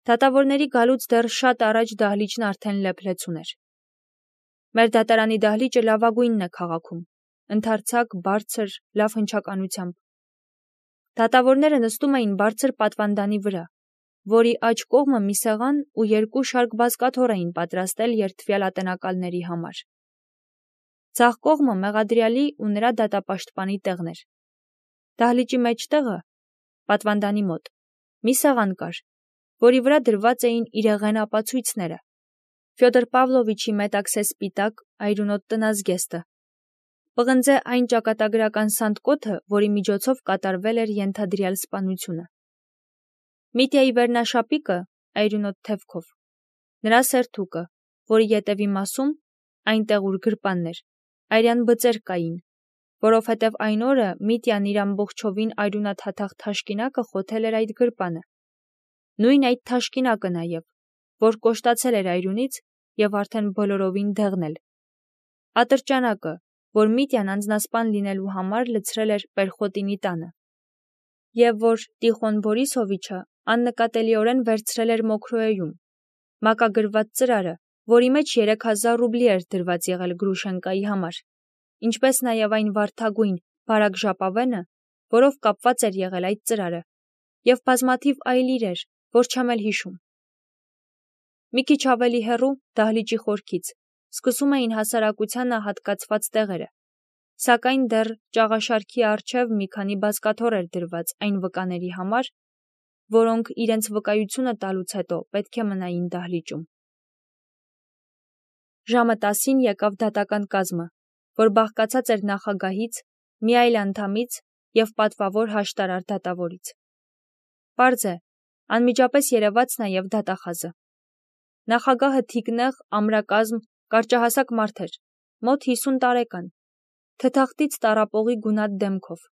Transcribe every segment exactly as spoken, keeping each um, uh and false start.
Դատավորների գալուց դեռ շատ առաջ դահլիճն արդեն լեփլեցուն էր։ Մեր դատարանի դահլիճը լավագույնն է քաղաքում, ընդարձակ, բարձր, լավ հնչականությամբ։ Դատավորները նստում էին բարձր պատվանդանի վրա, որի աջ կողմը մի սեղան ու երկու շարք բազկաթոռ էին պատրաստել երդվյալ ատենակալների համար։ Ձախ կողմը մեղադրյալի ու նրա դատապաշտպանի տեղն էր։ Դահլիճի մեջտեղը, պատվանդանի մոտ, մի սեղան կար, որի վրա դրված էին իրեղեն ապացույցները, Ֆյոդոր Պավլովիչի մետաքսե սպիտակ, այրունոտ տնազգեստը, պղնձե այն ճակատագրական սանդկոթը, որի միջոցով կատարվել էր ենթադրյալ սպանությունը, Միտյայի վերնաշապիկը, այրունոտ թևքով, նրա սերթուկը, որի ետևի մասում, այնտեղ ուր գրպանն էր, այրյան բծեր կային, որովհետև այն օրը Միտյան իր ամբողջովին այրունաթաթախ թաշկինակը խոթել էր այդ գրպանը, նույն այդ թաշկինակը նաև, որ կոշտացել էր այրունից և արդեն բոլորովին դեղնել, ատրճանակը, որ Միտյան անձնասպան լինելու համար լցրել էր Պերխոտինի տանը, և որ Տիխոն Բորիսովիչը աննկատելիորեն վերցրել էր Մոքրոեում, մակագրված ծրարը, որի մեջ երեք հազար ռուբլի էր դրված եղել Գրուշենկայի համար, ինչպես նաև այն վարդագույն, բարակ ժապավենը, որով կապված էր եղել այդ ծրարը, և բազմաթիվ այլ իրեր, որ չեմ էլ հիշում։ Մի քիչ ավելի հեռու, դահլիճի խորքից, սկսում էին հասարակությանը հատկացված տեղերը, սակայն դեռ ճաղաշարքի առջև մի քանի բազկաթոռ էր դրված այն վկաների համար, որոնք իրենց վկայությունը տալուց հետո պետք է մնային դահլիճում։ Ժամը տասին եկավ դատական կազմը, որ բաղկացած էր նախագահից, մի այլ անդամից և պատվավոր հաշտարար դատավորից։ Պարզ է, անմիջապես երևաց նաև դատախազը։ Նախագահը թիկնեղ, ամրակազմ, կարճահասակ մարդ էր, մոտ հիսուն տարեկան, թթախտից տառապողի գունատ դեմքով։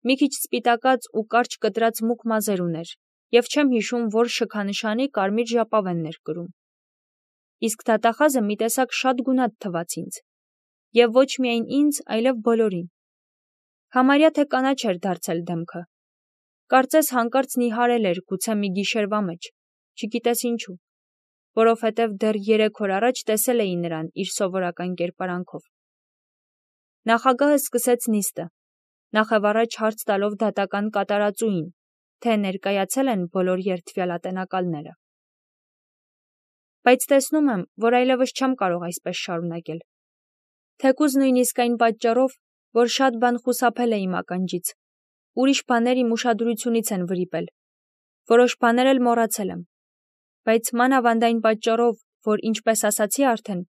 Մի քիչ սպիտակած ու կարճ կտրած մուգ մազեր ուներ, և չեմ հիշում, որ շքանշանի կարմիր ժապավենն էր կրում։ Իսկ դատախազը մի տեսակ շատ գունատ թվաց ինձ, և ոչ միայն ինձ, այլև բոլորին։ Համարյա թե կանաչ էր դարձել դեմքը։ Կարծես հանկարծ նիհարել էր գուցե մի գիշերվա մեջ, չգիտես ինչու, որովհետև դեռ երեք օր առաջ տեսել էի նրան իր սովորական կերպարանքով։ Նախագահը սկսեց նիստը, նախևառաջ հարց տալով դատական կատարածուին, թե ներկայացել են բոլոր երդվյալ ատենակալները։ Բայց տեսնում եմ, որ այլևս չեմ կարող այսպես շարունակել։ Թեկուզ նույնիսկ այն պատճառով, որ շատ բան խուսափել է իմ ականջից, ուրիշ բաներ իմ ուշադրությունից են վրիպել, որոշ բաներ էլ մոռացել եմ, բայց մանավանդ այն պատճառով, որ ինչպես ասացի արդեն,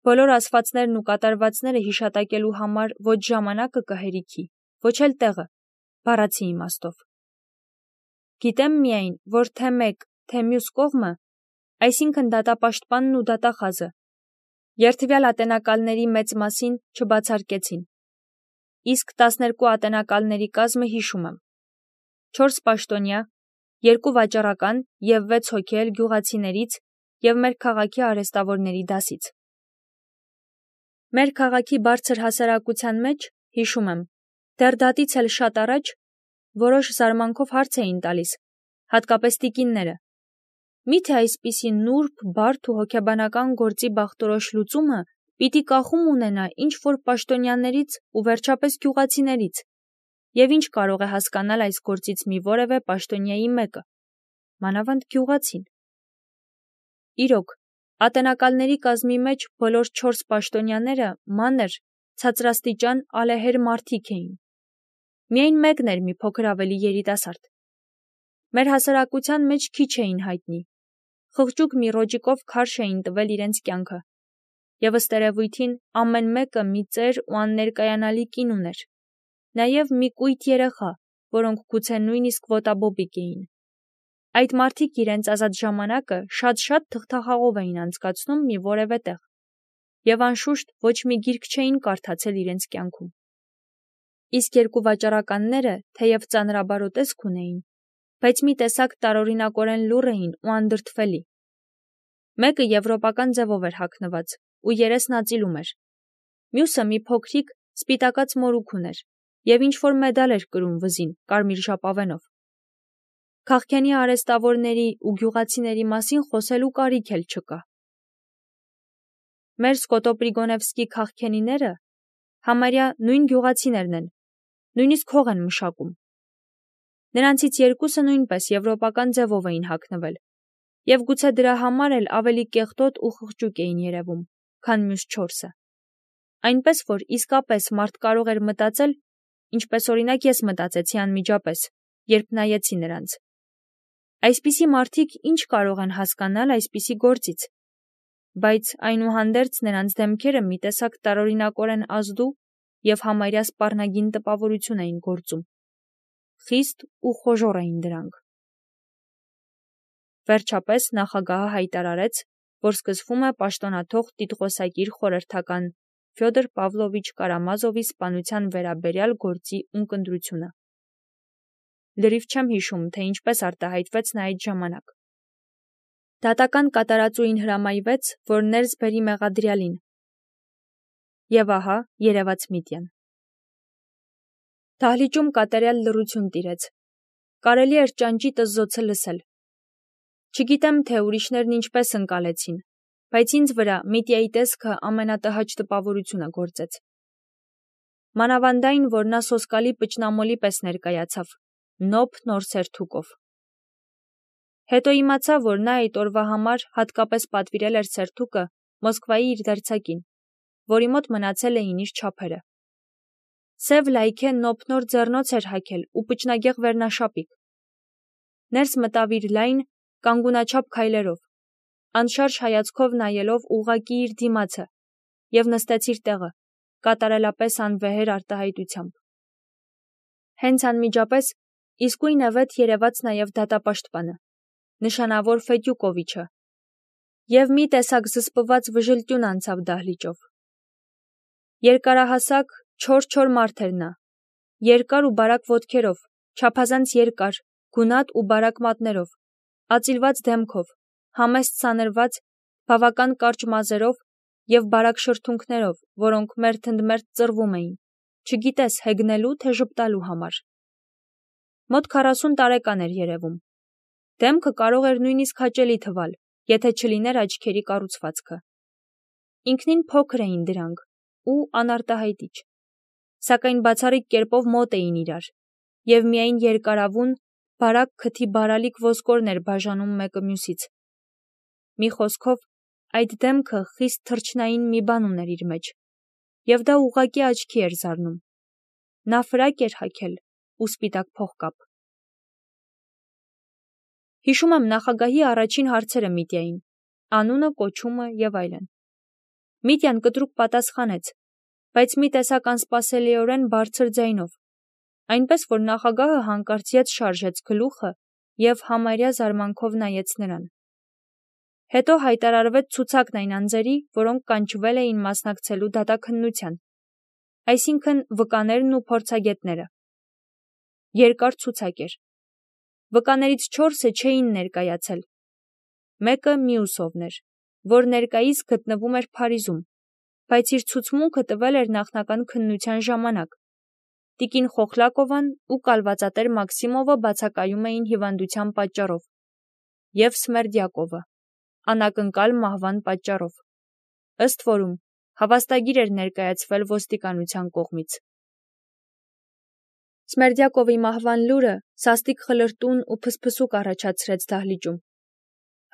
բոլոր ասվածներն ու կատարվածները հիշատակելու համար ոչ ժամանակը կհերիքի, ոչ էլ տեղը, բառացի իմաստով։ Գիտեմ միայն, որ թե մեկ, թե մյուս կողմը, այսինքն դատապաշտպանն ու դատախազը, երդվյալ ատենակալների մեծ մասին չբացարկեցին։ Իսկ տասներկու ատենակալների կազմը հիշում եմ. չորս պաշտոնյա, երկու վաճառական և վեց հոգի էլ գյուղացիներից և մեր քաղաքի արհեստավորների դասից։ Մեր քաղաքի բարձր հասարակության մեջ, հիշում եմ, դեռ դատից էլ շատ առաջ, որոշ զարմանքով հարց էին տալիս, հատկապես տիկինները. միթե այսպիսի նուրբ, բարդ ու հոգեբանական գործի բախտորոշ լուծումը պիտի կախում ունենա ինչ-որ պաշտոնյաներից ու վերջապես գյուղացիներից, և ինչ կարող է հասկանալ այս գործից մի որևէ պաշտոնյայի մեկը, մանավանդ գյուղացին։ Իրոք, ատենակալների կազմի մեջ բոլոր չորս պաշտոնյաները մանր, ցածրաստիճան, ալեհեր մարդիկ էին։ Միայն մեկն էր մի փոքր ավելի երիտասարդ։ Մեր հասարակության մեջ քիչ էին հայտնի, խղճուկ մի ռոճիկով քարշ էին տվել իրենց կյանքը, և ըստ երևույթին ամեն մեկը մի ծեր ու աններկայանալի կին ուներ, նաև մի կույտ երեխա, որոնք գուցե նույնիսկ ոտաբոբիկ էին։ Այդ մարդիկ իրենց ազատ ժամանակը շատ-շատ թղթախաղով էին անցկացնում մի որևէ տեղ, և անշուշտ ոչ մի գիրք չէին կարդացել իրենց կյանքում։ Իսկ երկու վաճառականները, թեև ծանրաբարո տեսք ունեին, բայց մի տեսակ տարօրինակորեն լուռ էին ու անդրդվելի։ Մեկը եվրոպական ձևով էր հագնված ու երեսն ածիլում էր, մյուսը մի փոքրիկ, սպիտակած մորուք ուներ և ինչ-որ մեդալ էր կրում վզին կարմիր ժապավենով։ Քաղքենի արեստավորների ու գյուղացիների մասին խոսելու կարիք էլ չկա։ Մեր Սկոտոպրիգոնևսկի քաղքենիները համարյա նույն գյուղացիներն են, նույնիսկ հող են մշակում։ Նրանցից երկուսը նույնպես եվրոպական ձևով էին հագնվել, և գուցե դրա համար էլ ավելի կեղտոտ ու խղճուկ էին երևում, քան մյուս չորսը։ Այնպես որ իսկապես մարդ կարող էր մտածել, ինչպես օրինակ ես մտածեցի անմիջապես, երբ նայեցի նրանց. այսպիսի մարդիկ ինչ կարող են հասկանալ այսպիսի գործից, բայց այնուհանդերձ նրանց դեմքերը մի տեսակ տարօրինակորեն ազդու և համարյա սպառնագին տպավորություն էին գործում։ Խիստ ու խոժոռ էին դրանք։ Վերջապես նախագահը հայտարարեց, որ սկսվում է պաշտոնաթող տիտղոսակիր խորհրդական Ֆյոդոր Պավլովիչ Կարամազովի սպանության վերաբերյալ գործի ունկնդրությունը։ Լրիվ չեմ հիշում, թե ինչպես արտահայտվեց նա այդ ժամանակ։ Դատական կատարածուին հրամայվեց, որ ներս բերի մեղադրյալին։ Եվ ահա երևաց Միտյան։ Դահլիճում կատարյալ լռություն տիրեց։ Կարելի էր ճանճի տզզոցը լսել։ Չգիտեմ, թե ուրիշներն ինչպես ընկալեցին, բայց ինձ վրա Միտյայի տեսքը ամենատհաճ տպավորությունը գործեց։ Մանավանդ այն, որ նա սոսկալի պճնամոլի պես ներկայացավ, նոփ նոր սերթուկով։ Հետո իմացա, որ նա այդ օրվա համար հատկապես պատվիրել էր սերթուկը Մոսկվայի իր դերձակին, որի մոտ մնացել էին իր չափերը։ Սև լայքե նոփնոր ձեռնոց էր հագել ու պճնագեղ վերնաշապիկ։ Ներս մտավ իր լայն, կանգունաչափ քայլերով, անշարժ հայացքով նայելով ուղղակի իր դիմացը, և նստեց իր տեղը, կատարելապես անվեհեր արտահայտությամբ։ Հենց անմիջապես իսկույնևեթ երևաց նաև դատապաշտպանը, նշանավոր Ֆետյուկովիչը, և մի տեսակ զսպված վժլտյուն անցավ դահլիճով։ Երկարահասակ, չոր-չոր մարդ էր նա, երկար ու բարակ ոտքերով, չափազանց երկար, գունատ ու բարակ մատներով, ածիլված դեմքով, համեստ սանրված, բավական կարճ մազերով և բարակ շրթունքներով, որոնք մերթընդմերթ ծռվում էին, չգիտես հեգնելու, թե ժպտալու համար։ Մոտ քառասուն տարեկան էր երևում։ Դեմքը կարող էր նույնիսկ հաճելի թվալ, եթե չլիներ աչքերի կառուցվածքը։ Ինքնին փոքր էին դրանք ու անարտահայտիչ, սակայն բացառիկ կերպով մոտ էին իրար, և միայն երկարավուն, բարակ քթի բարալիկ ոսկորն էր բաժանում մեկը մյուսից։ Մի խոսքով, այդ դեմքը խիստ թռչնային մի բան ուներ իր մեջ, և դա ուղղակի աչքի էր զարնում։ Նա ֆրակ էր հագել ու սպիտակ փողկապ։ Հիշում եմ նախագահի առաջին հարցերը Միտյային, անունը, կոչումը և այլն։ Միտյան կտրուկ պատասխանեց, բայց մի տեսակ անսպասելիորեն բարձր ձայնով, այնպես որ նախագահը հանկարծ ետ շարժեց գլուխը և համարյա զարմանքով նայեց նրան։ Հետո հայտարարվեց ցուցակն այն անձերի, որոնք կանչվել էին մասնակցելու դատաքննության, այսինքն վկաներն ու փորձագետները։ Երկար ցուցակ էր։ Վկաներից չորսը չէին ներկայացել։ Մեկը Միուսովն էր, որ ներկայիս գտնվում էր Փարիզում, բայց իր ցուցմունքը տվել էր նախնական քննության ժամանակ։ Տիկին Խոխլակովան ու կալվածատեր Մաքսիմովը բացակայում էին հիվանդության պատճառով, և Սմերդյակովը անակնկալ մահվան պատճառով, ըստ որում հավաստագիր էր ներկայացվել ոստիկանության կողմից։ Սմերդյակովի մահվան լուրը սաստիկ խլրտուն ու փսփսուկ առաջացրեց դահլիճում։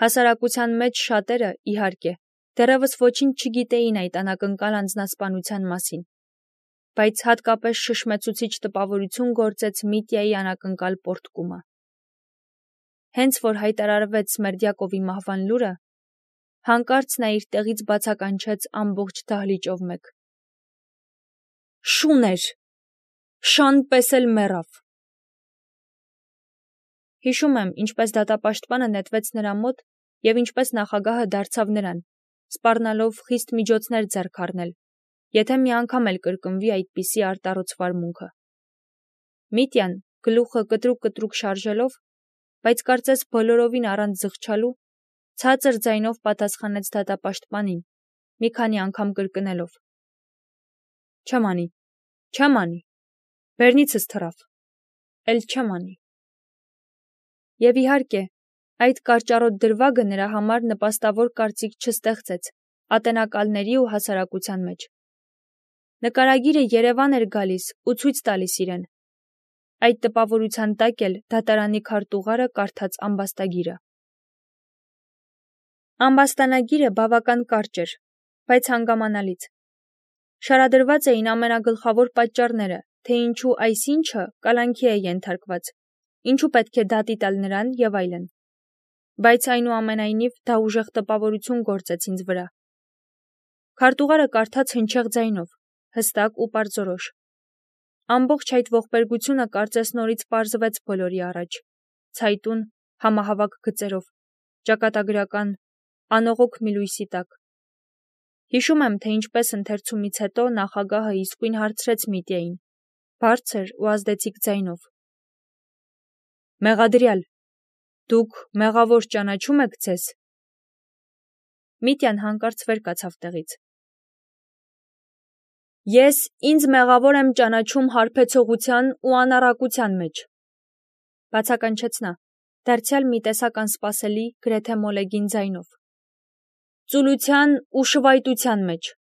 Հասարակության մեջ շատերը, իհարկե, դեռևս ոչինչ չգիտեին այդ անակնկալ անձնասպանության մասին, բայց հատկապես շշմեցուցիչ տպավորություն գործեց Միտյայի անակնկալ պոռթկումը։ Հենց որ հայտարարվեց Սմերդյակովի մահվան լուրը, հանկարծ նա իր տեղից բացականչեց ամբողջ դահլիճով մեկ. «Շուն էր, շան պես էլ մեռավ»։ Հիշում եմ, ինչպես դատապաշտպանը նետվեց նրա մոտ և ինչպես նախագահը դարձավ նրան, սպառնալով խիստ միջոցներ ձեռք առնել, եթե մի անգամ էլ կրկնվի այդպիսի արտառոց վարմունքը։ Միտյան, գլուխը կտրուկ-կտրուկ շարժելով, բայց կարծես բոլորովին առանց զղջալու, ցածր ձայնով պատասխանեց դատապաշտպանին, մի քանի անգամ կրկնելով. «Չեմ անի, չեմ անի, բերնիցս թռավ, էլ չեմ անի»։ Եվ իհարկե, այդ կարճառոտ դրվագը նրա համար նպաստավոր կարծիք չստեղծեց ատենակալների ու հասարակության մեջ։ Նկարագիրը Երևան էր գալիս ու ցույց տալիս իրեն։ Այդ տպավորության տակ էլ դատարանի քարտուղարը կարդաց ամբաստագիրը։ Ամբաստանագիրը բավական կարճ էր, բայց հանգամանալից։ Շարադրված էին ամենագլխավոր պատճառները, թե ինչու այսինչը կալանքի է ենթարկված, ինչու պետք է դատի տալ նրան եւ այլն։ Բայց այնուամենայնիվ դա ուժեղ տպավորություն գործեց ինձ վրա։ Քարտուղարը կարդաց հնչեղ ձայնով, հստակ ու պարզորոշ։ Ամբողջ այդ ողբերգությունը կարծես նորից պարզվեց բոլորի առաջ, ցայտուն, համահավաք գծերով, ճակատագրական, անողոք մի լույսի տակ։ Հիշում եմ, թե ինչպես ընթերցումից հետո նախագահը իսկույն հարցրեց Միտյային, բարձր ու ազդեցիկ ձայնով. «Մեղադրյալ, դուք մեղավոր ճանաչում եք ձեզ»։ Միտյան հանկարծ վեր կացավ տեղից։ «Ես ինձ մեղավոր եմ ճանաչում հարբեցողության ու անառակության մեջ», բացականչեց նա, դարձյալ մի տեսակ անսպասելի, գրեթե մոլեգին ձայնով։ «Ծուլության ու շվայտության մեջ։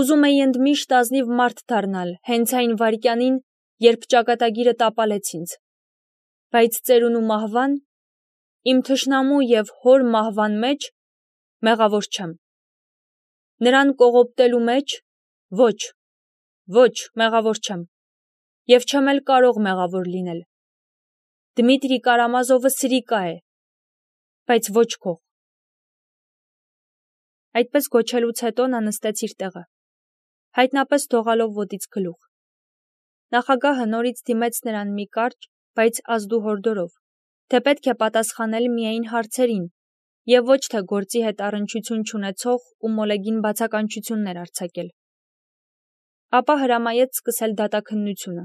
Ուզում էի ընդմիշտ ազնիվ մարդ դառնալ, հենց այն վայրկյանին, երբ ճակատագիրը տապալեց ինձ։ Բայց ծերունու մահվան, իմ թշնամու և հոր մահվան մեջ մեղավոր չեմ։ Նրան կողոպտելու մեջ ոչ, ոչ, մեղավոր չեմ, և չեմ էլ կարող մեղավոր լինել։ Դմիտրի Կարամազովը սրիկա է, բայց ոչ քող»։ Այդպես գոչելուց հետո նա նստեց իր տեղը, հայտնապես թողալով ոտից գլուխ։ Նախագահը նորից դիմեց նրան մի կարճ, բայց ազդու հորդորով, թե պետք է պատասխանել միայն հարցերին և ոչ թե գործի հետ առնչություն չունեցող ու մոլեգին բացականչություններ արձակել։ Ապա հրամայեց սկսել դատաքննությունը։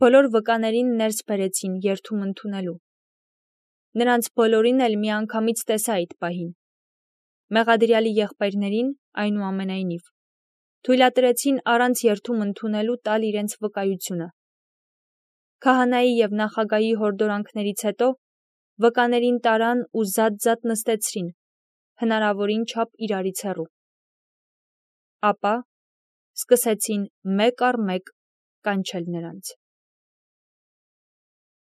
Բոլոր վկաներին ներս բերեցին երթում ընդունելու։ Նրանց բոլորին էլ միանգամից տեսա այդ պահին։ Մեղադրյալի եղբայրներին, այնուամենայնիվ, թույլատրեցին առանց երթում ընդունելու տալ իրենց վկայությունը։ Քահանայի և նախագահի հորդորանքներից հետո վկաներին տարան ու զատ-զատ նստեցրին, հնարավորին չափ իրարից հեռու։ Ապա սկսեցին մեկ առ մեկ կանչել նրանց։